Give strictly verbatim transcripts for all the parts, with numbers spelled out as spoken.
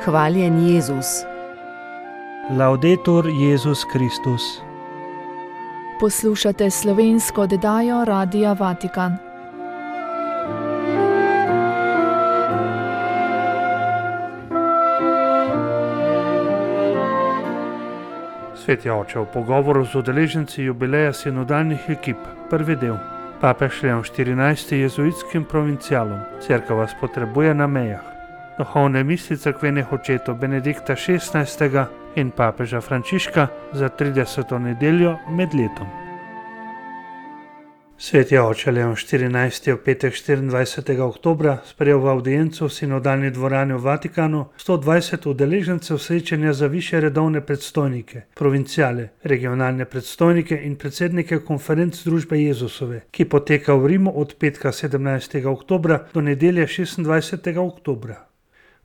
Hvaljen Jezus. Laudetur Jezus Kristus. Poslušate slovensko oddajo Radia Vatikan. Sveti oče, v pogovoru z udeleženci jubileja sinodalnih ekip, prvi del. Papež Leon štirinajsti jezuitskim provincialom. Cerkev vas potrebuje na mejah. Duhovne misli cerkvenih očetov Benedikta šestnajstega in papeža Frančiška za trideseto nedeljo med letom. Sveti oče Leon štirinajsti v petek štiriindvajsetega oktobra sprejel v avdiencu v sinodalni dvorani v Vatikanu sto dvajset udeležencev srečanja za višje redovne predstojnike, provinciale, regionalne predstojnike in predsednike konferenc družbe Jezusove, ki poteka v Rimu od petka sedemnajstega oktobra do nedelje šestindvajsetega oktobra.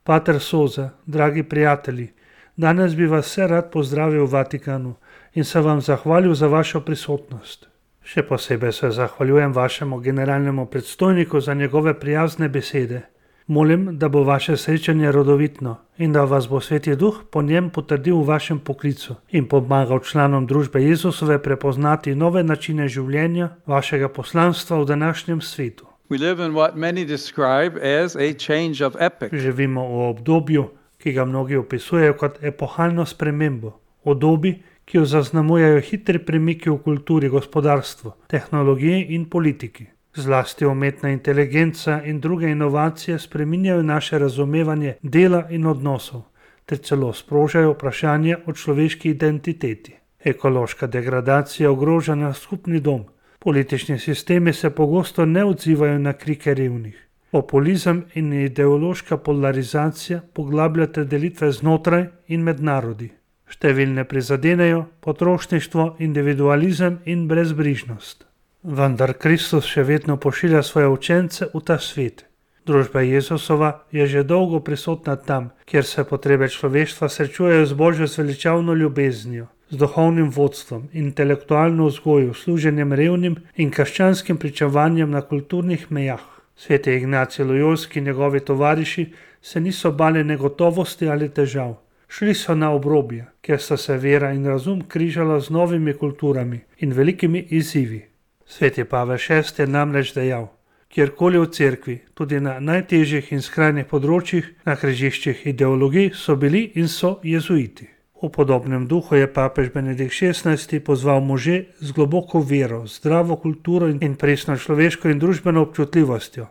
Pater Soza, dragi prijatelji, danes bi vas vse rad pozdravil v Vatikanu in se vam zahvalil za vašo prisotnost. Še posebej se zahvaljujem vašemu generalnemu predstojniku za njegove prijazne besede. Molim, da bo vaše srečanje rodovitno in da vas bo Sveti Duh po njem potrdil v vašem poklicu in pomagal članom družbe Jezusove prepoznati nove načine življenja vašega poslanstva v današnjem svetu. We live in what many describe as a change of epoch. Živimo v obdobju, ki ga mnogi opisujejo kot epohalno spremembo, v dobi, ki jo zaznamujejo hitri premiki v kulturi, gospodarstvu, tehnologiji in politiki. Zlasti umetna inteligenca in druge inovacije spreminjajo naše razumevanje dela in odnosov, ter celo sprožajo vprašanje o človeški identiteti. Ekološka degradacija ogroža naš skupni dom. Politični sistemi se pogosto ne odzivajo na krike revnih. Populizem in ideološka polarizacija poglabljata delitve znotraj in med narodi. Številne prizadenejo potrošništvo, individualizem in brezbrižnost. Vendar Kristus še vedno pošilja svoje učence v ta svet. Družba Jezusova je že dolgo prisotna tam, kjer se potrebe človeštva srečujejo z Božjo zveličavno ljubeznijo, z duhovnim vodstvom, intelektualno vzgojo, služenjem revnim in krščanskim pričevanjem na kulturnih mejah. Sveti Ignacij Lojolski in njegovi tovariši se niso bali negotovosti ali težav. Šli so na obrobje, kjer sta se vera in razum križala z novimi kulturami in velikimi izzivi. Sveti Pavel šesti je namreč dejal: kjerkoli v cerkvi, tudi na najtežjih in skrajnih področjih, na križiščih ideologij so bili in so jezuiti. V podobnem duhu je papež Benedikt šestnajsti pozval može z globoko vero, zdravo kulturo in presno človeško in družbeno občutljivostjo,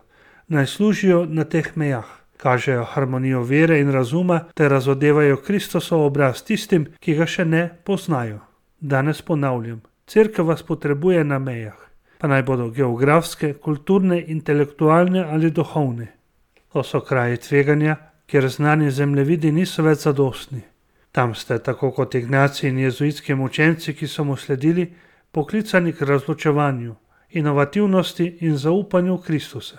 naj služijo na teh mejah. Kažejo harmonijo vere in razuma ter razodevajo Kristosov obraz tistim, ki ga še ne poznajo. Danes ponavljam, cerkev vas potrebuje na mejah, pa naj bodo geografske, kulturne, intelektualne ali duhovne. To so kraji tveganja, kjer znani zemljevidi niso več zadostni. Tam ste, tako kot Ignacij in jezuitskim učenci, ki so mu sledili, poklicani k razločevanju, inovativnosti in zaupanju v Kristusa.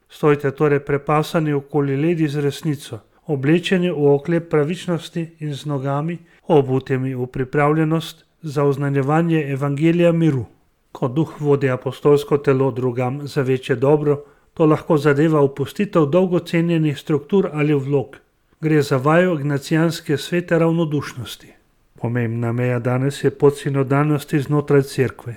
Stojite torej prepasani okoli ledi z resnico, oblečeni v oklep pravičnosti in z nogami, obutimi v pripravljenost za oznanjevanje evangelija miru. Ko duh vodi apostolsko telo drugam za večje dobro, to lahko zadeva opustitev dolgo cenjenih struktur ali vlog. Gre za vajo ignacijanske svete ravnodušnosti. Pomembna meja danes je pot sinodalnosti znotraj cerkve.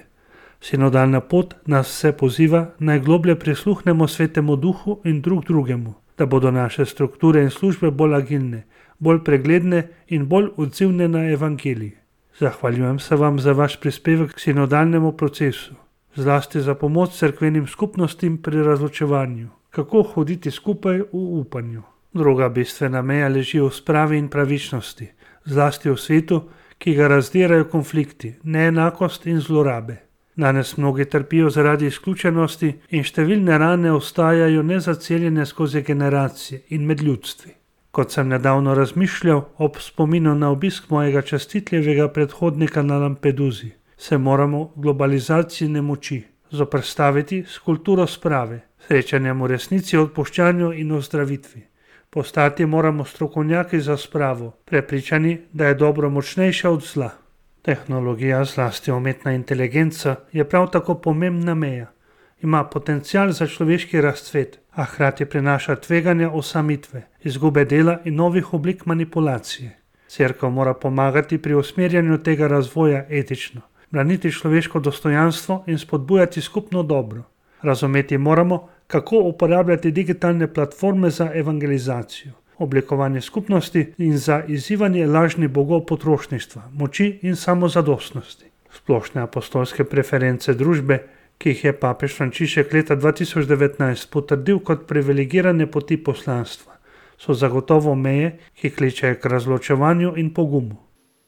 Sinodalna pot nas vse poziva, naj globlje prisluhnemo Svetemu Duhu in drug drugemu, da bodo naše strukture in službe bolj agilne, bolj pregledne in bolj odzivne na evangelij. Zahvaljujem se vam za vaš prispevek k sinodalnemu procesu, zlasti za pomoč cerkvenim skupnostim pri razločevanju, kako hoditi skupaj v upanju. Druga bistvena meja leži v spravi in pravičnosti, zlasti v svetu, ki ga razdirajo konflikti, neenakost in zlorabe. Danes mnogi trpijo zaradi izključenosti in številne rane ostajajo nezaceljene skozi generacije in med ljudstvi. Kot sem nedavno razmišljal ob spominu na obisk mojega častitljivega predhodnika na Lampeduzi, se moramo globalizaciji nemoči zoperstaviti s kulturo sprave, srečanjem v resnici, odpuščanju in ozdravitvi. Postati moramo strokovnjaki za spravo, prepričani, da je dobro močnejša od zla. Tehnologija, zlasti umetna inteligenca, je prav tako pomembna meja. Ima potencial za človeški razcvet, a hkrati prinaša tveganja osamitve, izgube dela in novih oblik manipulacije. Cerkev mora pomagati pri usmerjanju tega razvoja etično, braniti človeško dostojanstvo in spodbujati skupno dobro. Razumeti moramo, kako uporabljati digitalne platforme za evangelizacijo, oblikovanje skupnosti in za izzivanje lažnih bogov potrošništva, moči in samozadostnosti. Splošne apostolske preference družbe, ki jih je papež Frančišek leta dva tisoč devetnajst potrdil kot privilegirane poti poslanstva, so zagotovo meje, ki kličejo k razločevanju in pogumu.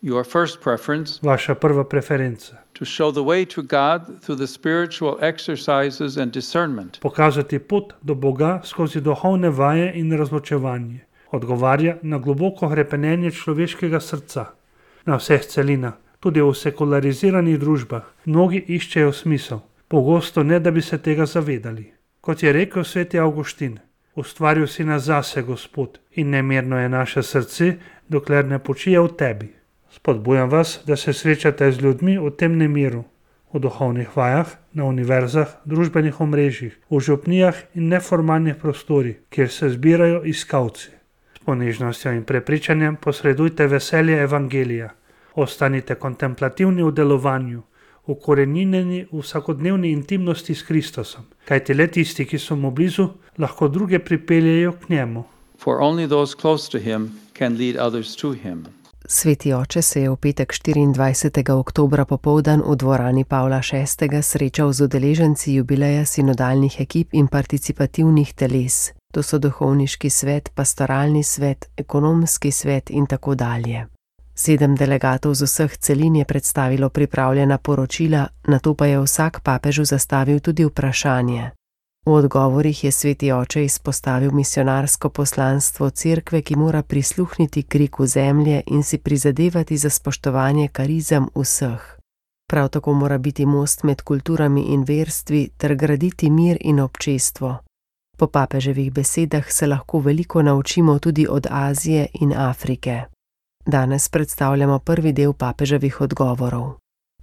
Your first preference, Vaša prva preferenca. to show the way to God through the spiritual exercises and discernment. Pokazati pot do Boga skozi duhovne vaje in razločevanje. Odgovarja na globoko hrepenenje človeškega srca. Na vseh celinah, tudi v sekulariziranih družbah, mnogi iščejo smisel, pogosto ne, da bi se tega zavedali. Kot je rekel sveti Avguštin, ustvaril si nas zase, Gospod, in nemirno je naše srce, dokler ne počije v tebi. Spodbujam vas, da se srečate z ljudmi v tem nemiru, v duhovnih vajah, na univerzah, družbenih omrežjih, v župnijah in neformalnih prostorih, kjer se zbirajo iskalci. S ponižnostjo in prepričanjem posredujte veselje evangelija. Ostanite kontemplativni v delovanju, ukorenjeni v vsakodnevni intimnosti s Kristusom, kajti le tisti, ki so mu blizu, lahko druge pripeljejo k njemu. For only those close to him can lead others to him. Sveti oče se je v petek štiriindvajsetega oktobra popoldan v dvorani Pavla šestega srečal z udeleženci jubileja sinodalnih ekip in participativnih teles. To so duhovniški svet, pastoralni svet, ekonomski svet in tako dalje. Sedem delegatov z vseh celin je predstavilo pripravljena poročila, nato pa je vsak papežu zastavil tudi vprašanje. V odgovorih je sveti oče izpostavil misionarsko poslanstvo cerkve, ki mora prisluhniti kriku zemlje in si prizadevati za spoštovanje karizem vseh. Prav tako mora biti most med kulturami in verstvi ter graditi mir in občestvo. Po papeževih besedah se lahko veliko naučimo tudi od Azije in Afrike. Danes predstavljamo prvi del papeževih odgovorov.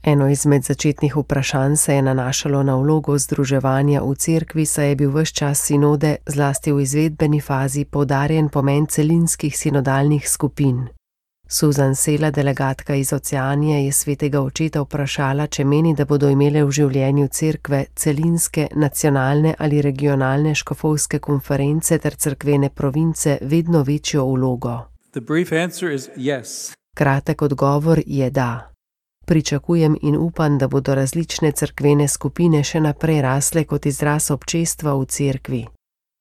Eno izmed začetnih vprašanj se je nanašalo na vlogo združevanja v cerkvi, saj je bil ves čas sinode, zlasti v izvedbeni fazi, poudarjen pomen celinskih sinodalnih skupin. Susan Sela, delegatka iz Oceanije, je svetega očeta vprašala, če meni, da bodo imele v življenju cerkve celinske, nacionalne ali regionalne škofovske konference ter cerkvene province vedno večjo vlogo. The brief answer is yes. Kratek odgovor je da. Pričakujem in upam, da bodo različne cerkvene skupine še naprej rasle kot izraz občestva v cerkvi.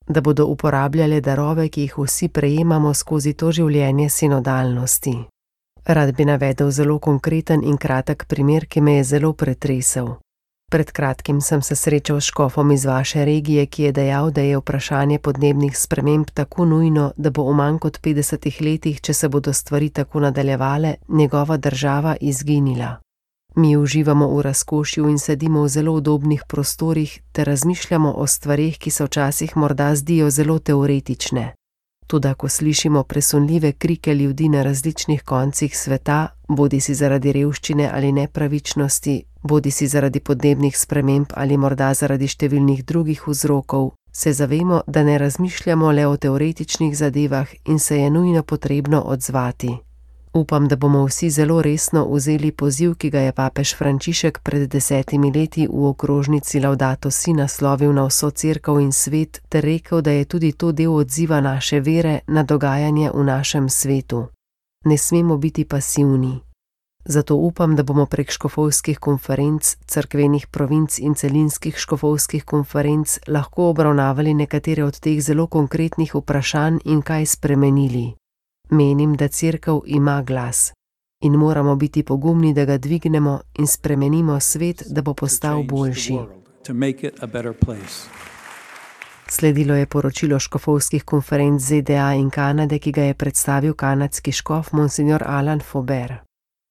Da bodo uporabljale darove, ki jih vsi prejemamo skozi to življenje sinodalnosti. Rad bi navedel zelo konkreten in kratek primer, ki me je zelo pretresel. Pred kratkim sem se srečal s škofom iz vaše regije, ki je dejal, da je vprašanje podnebnih sprememb tako nujno, da bo v manj kot petdesetih letih, če se bodo stvari tako nadaljevale, njegova država izginila. Mi uživamo v razkošju in sedimo v zelo udobnih prostorih ter razmišljamo o stvareh, ki se včasih morda zdijo zelo teoretične. Toda ko slišimo presunljive krike ljudi na različnih koncih sveta, bodisi zaradi revščine ali nepravičnosti, bodisi zaradi podnebnih sprememb ali morda zaradi številnih drugih vzrokov, se zavemo, da ne razmišljamo le o teoretičnih zadevah in se je nujno potrebno odzvati. Upam, da bomo vsi zelo resno vzeli poziv, ki ga je papež Frančišek pred desetimi leti v okrožnici Laudato Si naslovil na vso cerkev in svet ter rekel, da je tudi to del odziva naše vere na dogajanje v našem svetu. Ne smemo biti pasivni. Zato upam, da bomo prek škofovskih konferenc, cerkvenih provinc in celinskih škofovskih konferenc lahko obravnavali nekatere od teh zelo konkretnih vprašanj in kaj spremenili. Menim, da cerkev ima glas in moramo biti pogumni, da ga dvignemo in spremenimo svet, da bo postal boljši. Sledilo je poročilo škofovskih konferenc Z D A in Kanade, ki ga je predstavil kanadski škof monsignor Alan Faubert.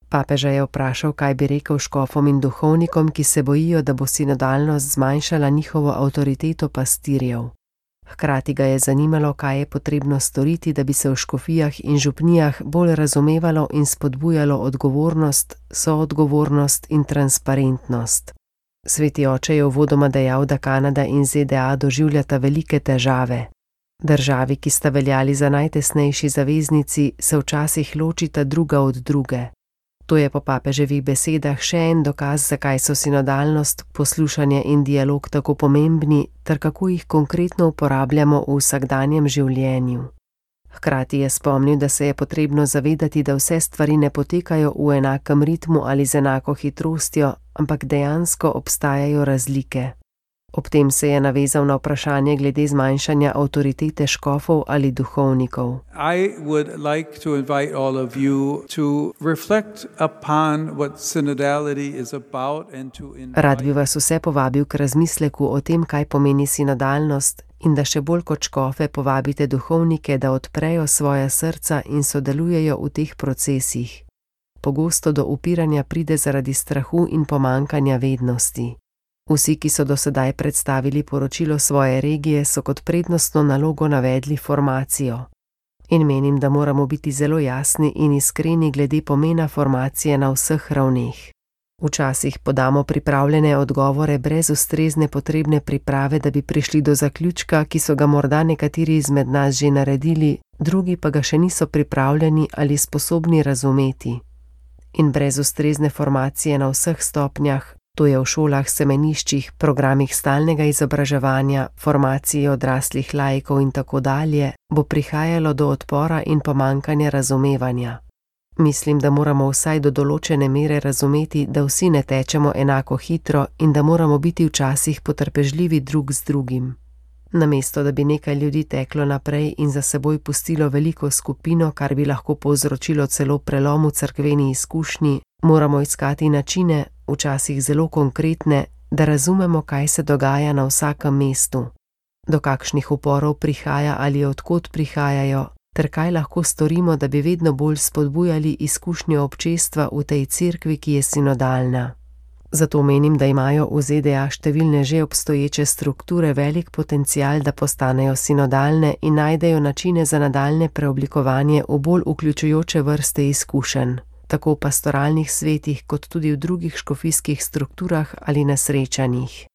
Papeža je vprašal, kaj bi rekel škofom in duhovnikom, ki se bojijo, da bo sinodalnost zmanjšala njihovo avtoriteto pastirjev. Hkrati ga je zanimalo, kaj je potrebno storiti, da bi se v škofijah in župnijah bolj razumevalo in spodbujalo odgovornost, soodgovornost in transparentnost. Sveti oče je uvodoma dejal, da Kanada in Z D A doživljata velike težave. Državi, ki sta veljali za najtesnejši zaveznici, se včasih ločita druga od druge. To je po papeževih besedah še en dokaz, zakaj so sinodalnost, poslušanje in dialog tako pomembni, ter kako jih konkretno uporabljamo v vsakdanjem življenju. Hkrati je spomnil, da se je potrebno zavedati, da vse stvari ne potekajo v enakem ritmu ali z enako hitrostjo, ampak dejansko obstajajo razlike. Ob tem se je navezal na vprašanje glede zmanjšanja avtoritete škofov ali duhovnikov. I would like to invite all of you to reflect upon what synodality is about and to invite... Rad bi vas vse povabil k razmisleku o tem, kaj pomeni sinodalnost, in da še bolj kot škofe povabite duhovnike, da odprejo svoja srca in sodelujejo v teh procesih. Pogosto do upiranja pride zaradi strahu in pomankanja vednosti. Vsi, ki so do sedaj predstavili poročilo svoje regije, so kot prednostno nalogo navedli formacijo. In menim, da moramo biti zelo jasni in iskreni glede pomena formacije na vseh ravneh. Včasih podamo pripravljene odgovore brez ustrezne potrebne priprave, da bi prišli do zaključka, ki so ga morda nekateri izmed nas že naredili, drugi pa ga še niso pripravljeni ali sposobni razumeti. In brez ustrezne formacije na vseh stopnjah, to je v šolah, semeniščih, programih stalnega izobraževanja, formaciji odraslih laikov in tako dalje, bo prihajalo do odpora in pomankanja razumevanja. Mislim, da moramo vsaj do določene mere razumeti, da vsi ne tečemo enako hitro in da moramo biti včasih potrpežljivi drug z drugim. Namesto, da bi nekaj ljudi teklo naprej in za seboj pustilo veliko skupino, kar bi lahko povzročilo celo prelom v cerkveni izkušnji, moramo iskati načine, včasih zelo konkretne, da razumemo, kaj se dogaja na vsakem mestu, do kakšnih uporov prihaja ali odkot prihajajo, ter kaj lahko storimo, da bi vedno bolj spodbujali izkušnjo občestva v tej cerkvi, ki je sinodalna. Zato menim, da imajo v Z D A številne že obstoječe strukture velik potencial, da postanejo sinodalne in najdejo načine za nadaljne preoblikovanje v bolj vključujoče vrste izkušenj, tako v pastoralnih svetih kot tudi v drugih škofijskih strukturah ali na srečanjih.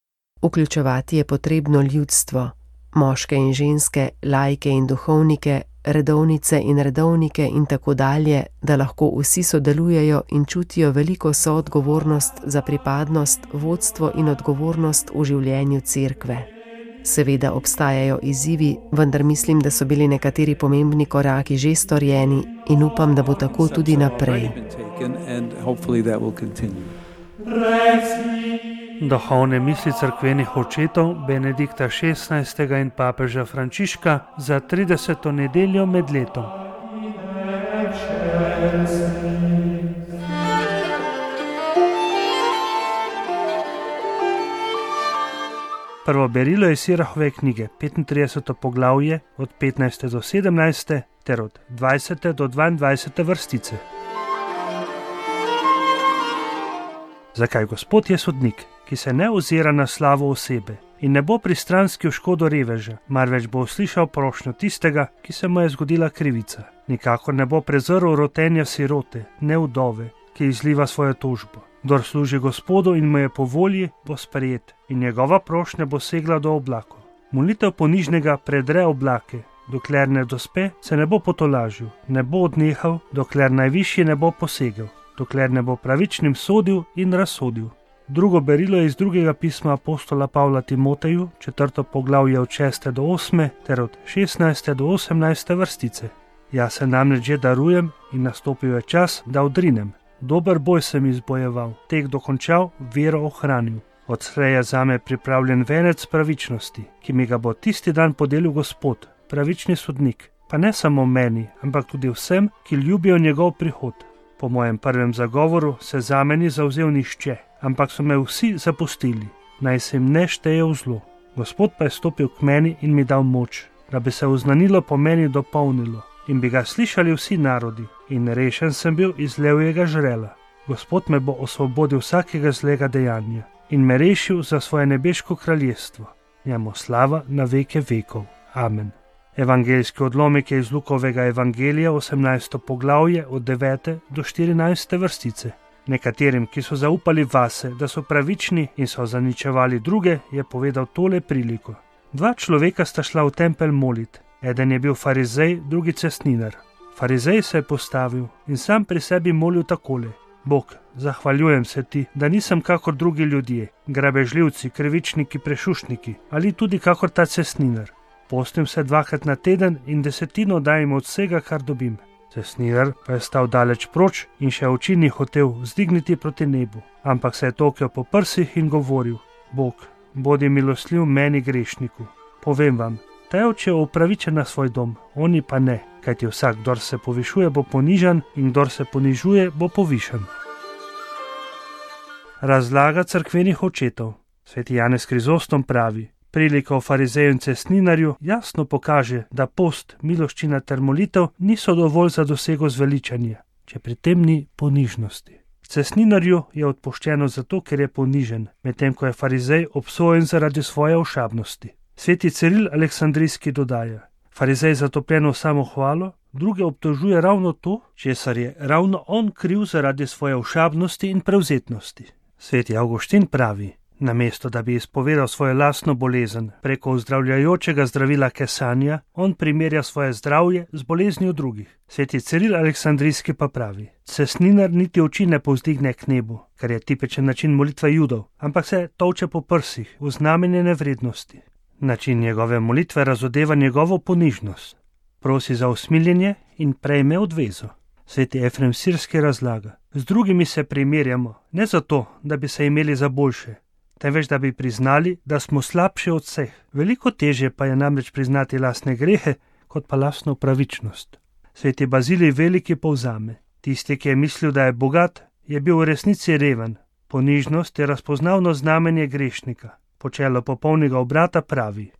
Vključevati je potrebno ljudstvo, moške in ženske, laike in duhovnike, redovnice in redovnike in tako dalje, da lahko vsi sodelujejo in čutijo veliko soodgovornost za pripadnost, vodstvo in odgovornost v življenju cerkve. Seveda obstajajo izzivi, vendar mislim, da so bili nekateri pomembni koraki že storjeni in upam, da bo tako tudi naprej. Duhovne misli cerkvenih očetov Benedikta šestnajstega in papeža Frančiška za trideseto nedeljo med letom. Prvo berilo je Sirahove knjige, petintrideseto poglavje od petnajste do sedemnajste ter od dvajsete do dvaindvajsete vrstice. Zakaj Gospod je sodnik, ki se ne ozira na slavo osebe in ne bo pristranski v škodo reveža, marveč bo uslišal prošnjo tistega, ki se mu je zgodila krivica. Nikakor ne bo prezrl rotenja sirote, ne vdove, ki izliva svojo tožbo. Kdor služi Gospodu in mu je po volji, bo sprejet in njegova prošnja bo segla do oblakov. Molitev ponižnega predre oblake, dokler ne dospe, se ne bo potolažil, ne bo odnehal, dokler najvišji ne bo posegel, dokler ne bo pravičnim sodil in razsodil. Drugo berilo je iz drugega pisma apostola Pavla Timoteju, četrto poglavje od šeste do osme ter od šestnajste do osemnajste vrstice. Jaz se namreč že darujem in nastopil je čas, da odrinem. Dober boj sem izbojeval, tek dokončal, vero ohranil. Odslej je zame pripravljen venec pravičnosti, ki mi ga bo tisti dan podelil Gospod, pravični sodnik, pa ne samo meni, ampak tudi vsem, ki ljubijo njegov prihod. Po mojem prvem zagovoru se zame ni zavzel nihče, ampak so me vsi zapustili, naj se jim ne šteje v zlo. Gospod pa je stopil k meni in mi dal moč, da bi se oznanilo po meni dopolnilo in bi ga slišali vsi narodi, in rešen sem bil iz levjega žrela. Gospod me bo osvobodil vsakega zlega dejanja in me rešil za svoje nebeško kraljestvo. Njemu slava na veke vekov. Amen. Evangeljski odlomek je iz Lukovega evangelija, osemnajsto poglavje od devete do štirinajste vrstice. Nekaterim, ki so zaupali vase, da so pravični in so zaničevali druge, je povedal tole priliko. Dva človeka sta šla v tempelj molit. Eden je bil farizej, drugi cestninar. Farizej se je postavil in sam pri sebi molil takole: Bog, zahvaljujem se ti, da nisem kakor drugi ljudje, grabežljivci, krivičniki, prešušniki ali tudi kakor ta cestninar. Postim se dvakrat na teden in desetino dajem od vsega, kar dobim. Cestninar pa je stal daleč proč in še oči ni hotel vzdigniti proti nebu, ampak se je tokal po prsih in govoril: Bog, bodi milostljiv meni grešniku. Povem vam, ta je odšel upravičen na svoj dom, oni pa ne, kajti vsak, kdor se povišuje, bo ponižan in kdor se ponižuje, bo povišan. Razlaga cerkvenih očetov. Sveti Janez Krizostom pravi: Prilika o farizeju in cestninarju jasno pokaže, da post, miloščina ter molitev niso dovolj za dosego zveličanja, če pri tem ni ponižnosti. Cestninarju je odpuščeno zato, ker je ponižen, medtem ko je farizej obsojen zaradi svoje ošabnosti. Sveti Ciril Aleksandrijski dodaja: Farizej zatopljen v samohvalo, druge obtožuje ravno to, česar je ravno on kriv zaradi svoje ošabnosti in prevzetnosti. Sveti Avguštin pravi: Namesto da bi izpovedal svojo lastno bolezen preko ozdravljajočega zdravila kesanja, on primerja svoje zdravje z boleznijo drugih. Sveti Ciril Aleksandrijski pa pravi: Cestninar niti oči ne povzdigne k nebu, kar je tipičen način molitve Judov, ampak se tolče po prsih v znamenje nevrednosti. Način njegove molitve razodeva njegovo ponižnost. Prosi za usmiljenje in prejme odvezo. Sveti Efrem Sirski razlaga: Z drugimi se primerjamo, ne zato, da bi se imeli za boljše, temveč da bi priznali, da smo slabši od vseh. Veliko težje pa je namreč priznati lastne grehe, kot pa lastno pravičnost. Sveti Bazilij Veliki povzame: Tisti, ki je mislil, da je bogat, je bil v resnici reven. Ponižnost je razpoznavno znamenje grešnika. Počelo popolnega obrata pravi: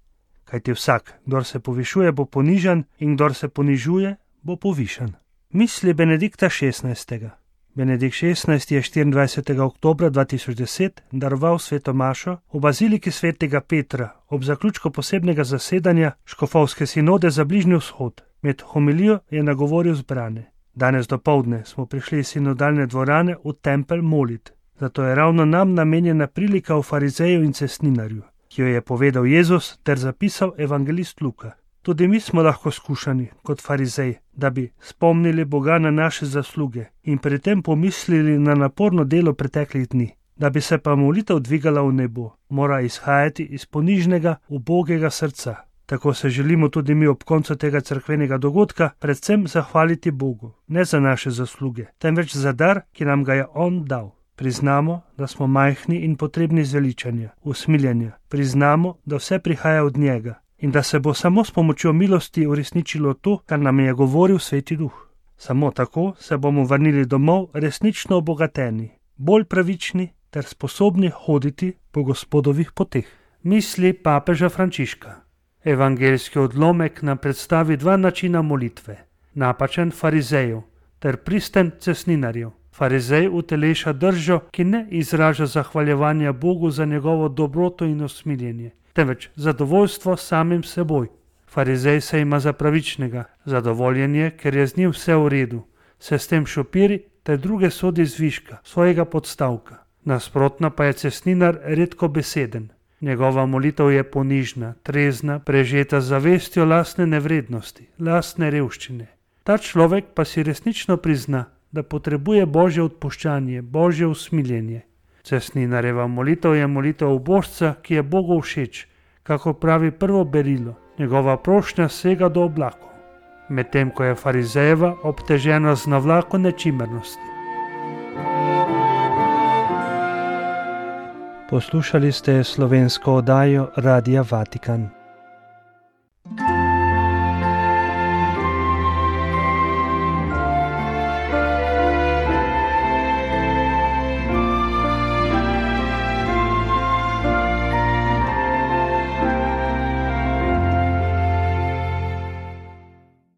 Kajti vsak, kdor se povišuje, bo ponižan in kdor se ponižuje, bo povišan. Misli Benedikta šestnajstega. Benedikt šestnajsti je štiriindvajsetega oktobra dva tisoč deset daroval sveto mašo v baziliki svetega Petra ob zaključku posebnega zasedanja škofovske sinode za Bližnji vzhod. Med homilijo je nagovoril zbrane: Danes dopoldne smo prišli iz sinodalne dvorane v tempelj molit. Zato je ravno nam namenjena prilika o farizeju in cestninarju, ki jo je povedal Jezus ter zapisal evangelist Luka. Tudi mi smo lahko skušani, kot farizej, da bi spomnili Boga na naše zasluge in pri tem pomislili na naporno delo preteklih dni. Da bi se pa molitev dvigala v nebo, mora izhajati iz ponižnega, ubogega srca. Tako se želimo tudi mi ob koncu tega cerkvenega dogodka predvsem zahvaliti Bogu, ne za naše zasluge, temveč za dar, ki nam ga je On dal. Priznamo, da smo majhni in potrebni zveličanja, usmiljenja. Priznamo, da vse prihaja od njega in da se bo samo s pomočjo milosti uresničilo to, kar nam je govoril Sveti Duh. Samo tako se bomo vrnili domov resnično obogateni, bolj pravični ter sposobni hoditi po Gospodovih poteh. Misli papeža Frančiška. Evangeljski odlomek nam predstavi dva načina molitve: napačen farizejev ter pristen cestninarjev. Farizej uteleša držo, ki ne izraža zahvaljevanja Bogu za njegovo dobroto in usmiljenje, temveč zadovoljstvo samim seboj. Farizej se ima za pravičnega, zadovoljen je, ker je z njim vse v redu, se s tem šopiri ter druge sodi zviška, svojega podstavka. Nasprotno pa je cestninar redko beseden. Njegova molitev je ponižna, trezna, prežeta z zavestjo lastne nevrednosti, lastne revščine. Ta človek pa si resnično prizna, da potrebuje Božje odpuščanje, Božje usmiljenje. Cestninarjeva molitev je molitev ubožca, ki je Bogu všeč, kako pravi prvo berilo. Njegova prošnja sega do oblakov, medtem ko je farizejeva obtežena z navlako nečimrnosti. Poslušali ste slovensko oddajo Radia Vatikan.